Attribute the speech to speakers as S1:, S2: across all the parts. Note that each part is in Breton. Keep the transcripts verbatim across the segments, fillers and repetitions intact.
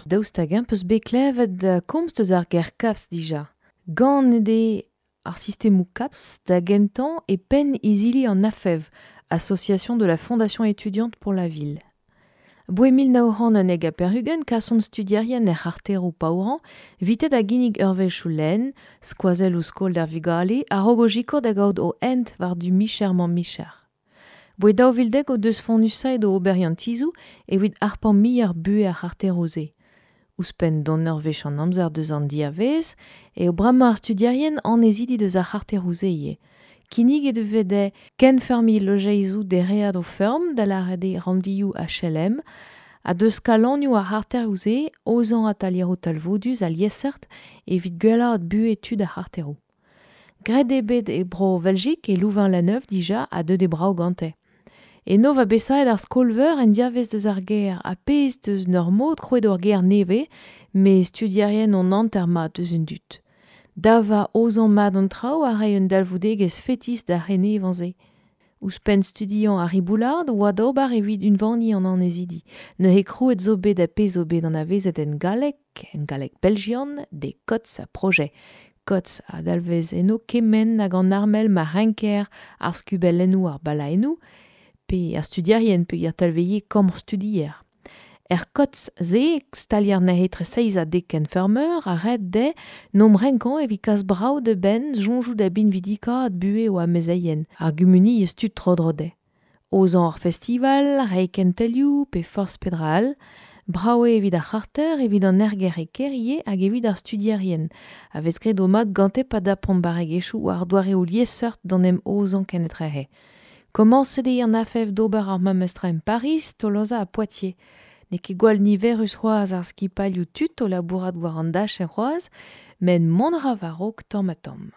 S1: Daoust hag-eñ peus bet klevet komz deus ar ger CAPS dija. Ganet eo ar sistemoù CAPS da gentañ e penn izili an A F E V, Association de la Fondation étudiante pour la ville. Boe mil nav c'hant unnek ha pevar-ugent kasont studierien er c'harteroù paourañ, vitet a ginnig eurvezhioù lenn, skoazelloù skol d'ar vugale, a-raok o sikour da gaout o hent war-du micher-mañ-micher. Boe daou vil dek o deus fonnusaet o oberiantizoù evit harpañ muioc'h buhez ar c'harteroù-se. Ouzhpenn d'an eurvezh an amzer deus an diavez, eo bremañ ar studierien annezidi deus ar c'harteroù-se ivez. Kinniget e vez dezhe kenfeurmiñ lojeizoù dereat o feurm, da lâret eo ranndioù H L M, ha deus kalonioù ar c'harteroù-se aozañ atalieroù talvoudus ha liesseurt evit gwellaat buhez tud ar c'harteroù. Graet eo bet e bro Veljik e Louvain-la-Neuve dija ha deuet eo brav gante. Eno va besaet ar skol-veur en diavez deus ar gêr ha pezh deus n'ur mod krouet ur gêr nevez, met studierien on hanter mat deus un dud. Da va aozañ mat an traoù a ray un dalvoudegezh fetis d'ar c'henevañ-se. Ouzhpenn studiañ ar riboulard oa d'ober evit unvaniñ an annezidi. Neuze krouet zo bet ha pezh zo bet anavezet en galleg, en galleg belgian, de C O T S ha projet. C O T S a dalvez eno kement hag an armel ma renker ar skubellennoù ar balaennoù, pe ar studierien pe ar talveie kambr studier. Er C O T S-se, stalier neuze tre seizh ha dek kenfeurmeur, a red dezhe n'om renkañ evit kas brav de benn soñjoù da binvidikaat buhez o amezeien, ar gumuniezh tud tro-dro dezhe. Aozañ ar festival, reiñ kentelioù pe forzh pedra all, brav eo evit ar c'harter, evit an erger e kêr ivez hag evit ar studierien, a vez graet o mat gante pa dapont barregezhioù war doareoù liesseurt d'an em aozañ kenetrehe. Komañset eo an A F E V d'ober ar memes tra en Paris, Tolosa ha Poitiers. N'eo ket gwall niverus c'hoazh ar skipailhoù tud o labourat war an dachenn c'hoazh, met mont a ra war-raok tamm ha tamm.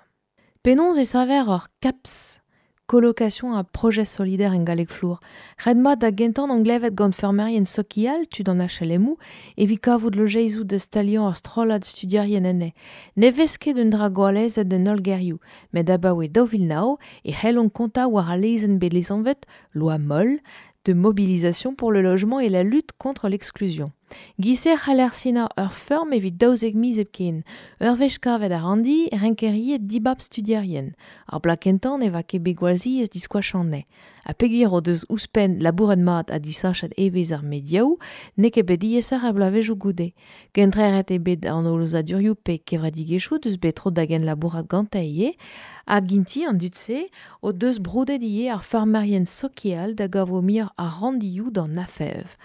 S1: Penaos e saver ur CAPS, colocation à projet solidaire en galleg flour. Ret mat da gentañ an glevet gant feurmerien sokial, tud an H L M O, evit kavout lojeizoù da staliañ ar strollad studierien enne. Ne vez ket un dra gwallezet d'an holl gerioù, met abaoe daou vil nav e c'hellont kontañ war al lezenn bet lesanvet loi Moll de mobilisation pour le logement et la lutte contre l'exclusion. Giser c'haller sinañ ur feurm evit daouzek miz hepken. Ur wech kavet ar randi, renkeriet dibab studierien. Ar bloaz kentañ ne va ket bet gwall ziaes diskoachañ anezhe. Ha peogwir o deus ouzhpenn labouret mat ha disachet evezh ar mediaoù, n'eo ket bet diaesoc'h ar bloavezhioù goude. Kentreret eo bet an holozadurioù pe kevredigezhioù deus bet tro da genlabourat gante ivez, hag inti an dud-se o deus broudet ivez ar feurmerien sokial da gavo muioc'h ar randioù d'an A F E V.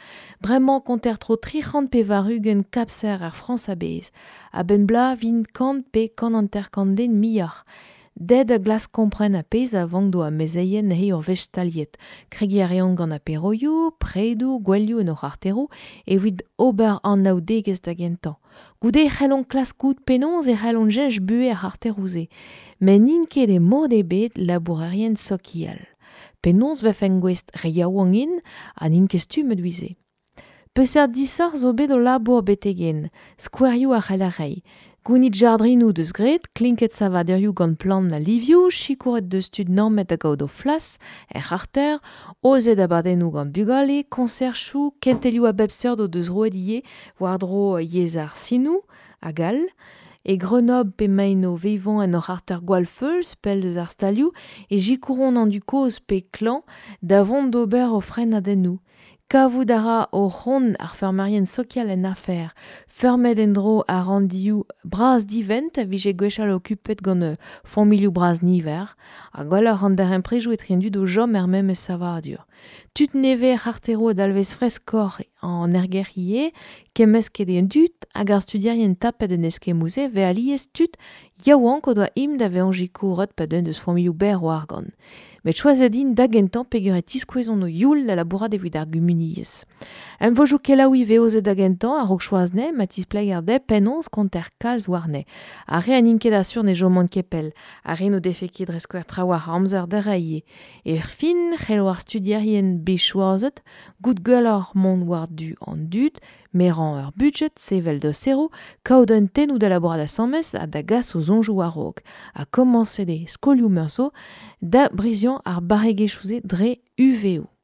S1: Bremañ konter tro tri c'hant pevar-ugent kapser ar Frañs a-bezh. A-benn bloaz vint kant pe kant hanter-kant den muioc'h. Ded a glask kompren a pezh a vank d'o amezeien neuze ur wech staliet. Kregiñ a reont gant aperoioù, predoù, gwelioù en o c'harteroù evit ober anaoudegezh da gentañ. Goude e c'hellont klask goût penaos e c'hellont cheñch buhez ar c'harteroù-se. Met n'int ket e mod ebet labourerien sokial. Penaos vefen gouest re yaouank int ha n'int ket stummet evit-se. Peseurt disoc'h zo bet o labour betek-henn, skouerioù a c'hell ar reiñ. Gounit jardrinoù deus graet, klinket savadurioù gant plant ha livioù, sikouret deus tud nammet da gaout o flas, er c'harter, aozet abadennoù gant bugale, konserchoù, kentelioù a bep seurt o deus roet ivez war-dro yezh ar sinoù hag all. E Grenoble pe maen o vevañ en ur c'harter gwall feuls, pell deus ar stalioù, e sikouron an dud kozh pe klañv da vont d'ober o frenadennoù. Kavout a ra o c'hont ar feurmerien sokial en afer. Feurmet en-dro ar randioù bras divent a vije gwechall okupet gant euh, familhoù bras niver, ha gwelloc'h an darempredoù etre an dud o chom er memes savadur. Tud nevez ar c'harteroù a dalvez freskoc'h an ergerc'h ivez, kemmesket eo an dud hag ar studierien tapet en eskemmoù-se vez alies tud yaouank o doa im da vezañ sikouret pa deunt eus familhoù berr o argant. Met choazet int da gentañ peogwir e tiskouezont o youl da labourat evit ar gumuniezh. Emvojoù kelaouiñ vez aozet da gentañ a-raok choaz anezhe ma tispleger dezhe penaos konter kalz warne. Ar re n'int ket asur ne chomont ket pell. Ar re n'o defe ket dre skouer trawalc'h amzer da reiñ. Er fin, c'hello ar studierien bet choazet, goût gwelloc'h mont war-du an dud, merañ ur budget, sevel doseroù, kaout un tennoù da labourat asambles ha da gas o soñjoù war-raok. Ha komañset eo skolioù meur zo da briziañ ar barregezhioù-se dre U V O.